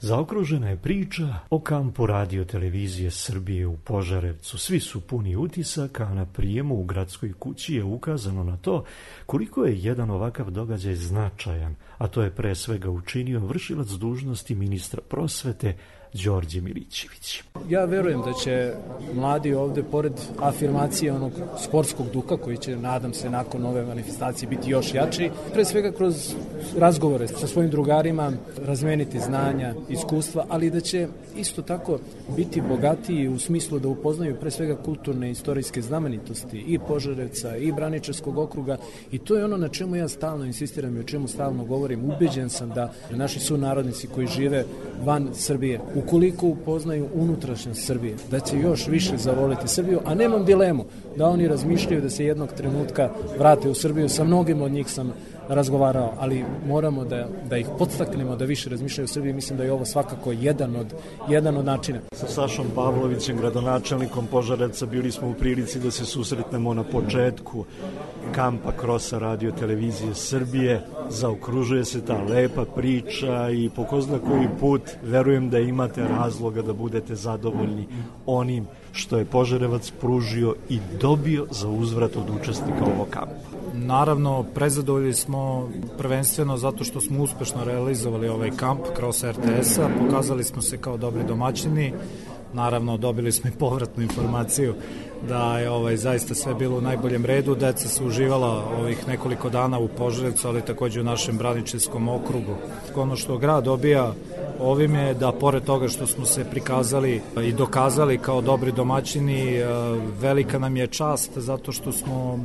Zaokružena je priča o kampu Radio televizije Srbije u Požarevcu. Svi su puni utisaka, a na prijemu u gradskoj kući je ukazano na to koliko je jedan ovakav događaj značajan, a to je pre svega učinio vršilac dužnosti ministra prosvete Đorđe Milićević. Ja verujem da će mladi ovde, pored afirmacije onog sportskog duha, koji će, nadam se, nakon ove manifestacije biti još jači, pre svega kroz razgovore sa svojim drugarima, razmeniti znanja, iskustva, ali da će isto tako biti bogatiji u smislu da upoznaju pre svega kulturne i istorijske znamenitosti i Požarevca i Braničevskog okruga, i to je ono na čemu ja stalno insistiram i o čemu stalno govorim. Ubeđen sam da naši sunarodnici koji žive van Srbije, ukoliko upoznaju unutrašnjost Srbije, da će još više zavoliti Srbiju, a nemam dilemu da oni razmišljaju da se jednog trenutka vrate u Srbiju. Sa mnogim od njih sam razgovarao, ali moramo da ih podstaknemo da više razmišljaju o Srbiji. Mislim da je ovo svakako jedan od načina. Sa Sašom Pavlovićem, gradonačelnikom Požarevca, bili smo u prilici da se susretnemo na početku kampa Krosa Radio televizije Srbije. Zaokružuje se ta lepa priča i po ko zna koji put verujem da imate razloga da budete zadovoljni onim što je Požarevac pružio i dobio za uzvrat od učesnika ovog kampa. Naravno, prezadovoljni smo prvenstveno zato što smo uspešno realizovali ovaj kamp kroz RTS-a, pokazali smo se kao dobri domaćini, naravno dobili smo i povratnu informaciju da je zaista sve bilo u najboljem redu, deca su uživala ovih nekoliko dana u Požarevcu, ali takođe u našem Braničevskom okrugu. Ono što grad dobija ovim je da pored toga što smo se prikazali i dokazali kao dobri domaćini, velika nam je čast zato što smo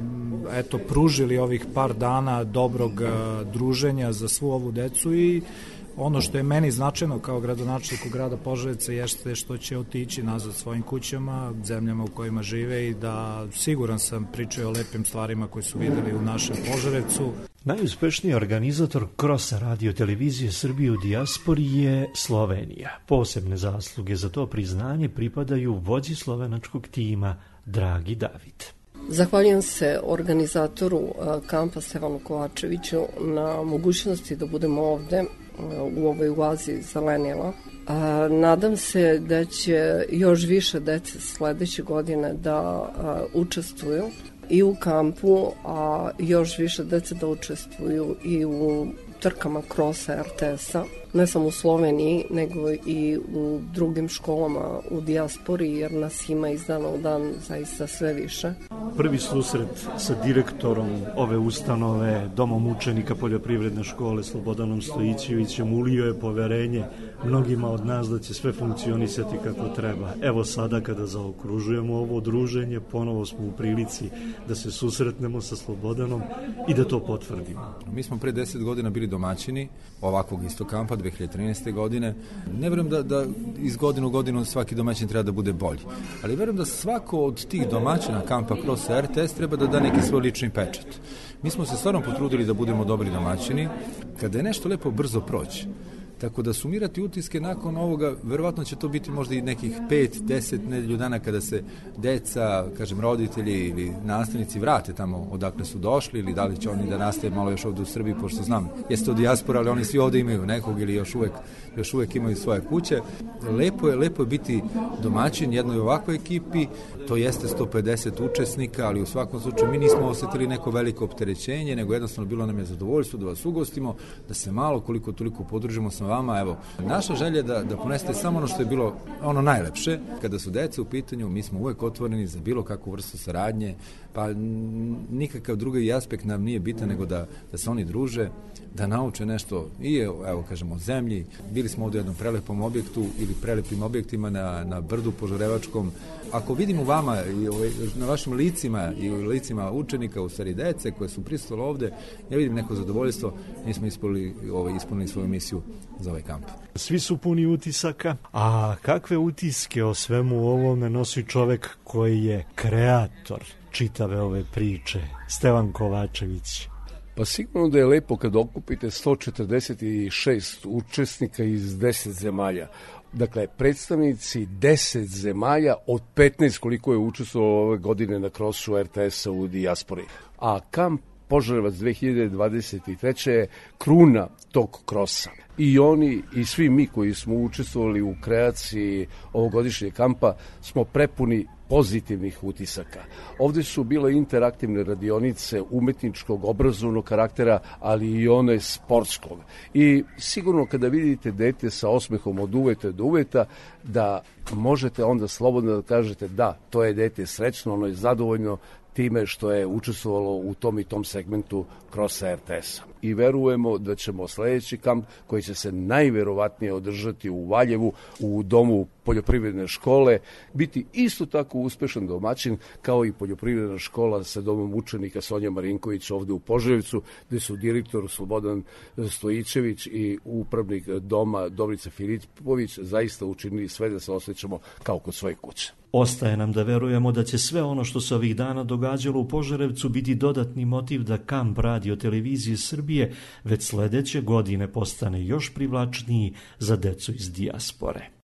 pružili ovih par dana dobrog druženja za svu ovu decu, i ono što je meni značajno kao gradonačelniku grada Požarevca jeste što će otići nazad svojim kućama, zemljama u kojima žive, i da siguran sam pričaju o lepim stvarima koje su videli u našem Požarevcu. Najuspešniji organizator Krosa Radio televizije Srbije u dijaspori je Slovenija. Posebne zasluge za to priznanje pripadaju vođi slovenačkog tima Dragi David. Zahvaljujem se organizatoru kampa Stevanu Kovačeviću na mogućnosti da budemo ovde u ovoj oazi zelenila. Nadam se da će još više dece sledeće godine da učestvuju i u kampu, a još više dece da učestvuju i u trkama krosa RTS-a, ne samo u Sloveniji, nego i u drugim školama u dijaspori, jer nas ima iz dana u dan zaista sve više. Prvi susret sa direktorom ove ustanove, Domom učenika Poljoprivredne škole Slobodanom Stojićevićem, ulio je poverenje mnogima od nas da će sve funkcionisati kako treba. Evo sada kada zaokružujemo ovo druženje, ponovo smo u prilici da se susretnemo sa Slobodanom i da to potvrdimo. Mi smo pre 10 godina bili domaćini ovakvog isto kampa 2013. godine. Ne verujem da iz godine u godinu svaki domaćin treba da bude bolji, ali verujem da svako od tih domaćina kampa kroz RTS treba da da neki svoj lični pečat. Mi smo se stvarno potrudili da budemo dobri domaćini. Kada je nešto lepo, brzo proći. Tako da sumirati utiske nakon ovoga, verovatno će to biti možda i nekih 5-10 nedelju dana kada se deca, roditelji ili nastavnici vrate tamo odakle su došli, ili da li će oni da nastave malo još ovde u Srbiji, pošto znam, jeste od dijaspora, ali oni svi ovde imaju nekog ili još uvek imaju svoje kuće. Lepo je biti domaćin jednoj ovakvoj ekipi, to jeste 150 učesnika, ali u svakom slučaju mi nismo osetili neko veliko opterećenje, nego jednostavno bilo nam je zadovoljstvo da vas ugostimo, da se malo koliko toliko podružimo sa vama. Evo, naša želja je da ponesete samo ono što je bilo ono najlepše. Kada su deca u pitanju, mi smo uvek otvoreni za bilo kakvu vrstu saradnje, pa nikakav drugi aspekt nam nije bitan nego da se oni druže, da nauče nešto i evo kažemo o zemlji. Bili smo ovde u jednom prelepom objektu ili prelepim objektima na brdu Požarevačkom. Ako vidim u vama i na vašim licima i u licima učenika, u stvari dece koje su prisutile ovde, ja vidim neko zadovoljstvo, mi smo ispunili svoju misiju za ovaj kamp. Svi su puni utisaka, a kakve utiske o svemu ovome nosi čovek koji je kreator čitave ove priče, Stevan Kovačević? Pa sigurno da je lepo kad okupite 146 učesnika iz 10 zemalja. Dakle, predstavnici 10 zemalja od 15 koliko je učestvovalo ove godine na krosu RTS-a u dijaspori. A kamp Požarevac 2023. je kruna tog krosa. I oni i svi mi koji smo učestvovali u kreaciji ovogodišnjeg kampa smo prepuni pozitivnih utisaka. Ovde su bile interaktivne radionice umetničkog, obrazovnog karaktera, ali i one sportskog. I sigurno kada vidite dete sa osmehom od uveta do uveta, da možete onda slobodno da kažete da, to je dete srećno, ono je zadovoljno time što je učestvovalo u tom i tom segmentu krosa RTS-a. I verujemo da ćemo sledeći kamp, koji će se najverovatnije održati u Valjevu, u domu poljoprivredne škole, biti isto tako uspešan domaćin kao i poljoprivredna škola sa domom učenika Sonja Marinković ovde u Požarevcu, gde su direktor Slobodan Stojićević i upravnik doma Dobrica Filipović zaista učinili sve da se osjećamo kao kod svoje kuće. Ostaje nam da verujemo da će sve ono što se ovih dana događalo u Požarevcu biti dodatni motiv da kamp Radio televizije Srbije već sledeće godine postane još privlačniji za decu iz dijaspore.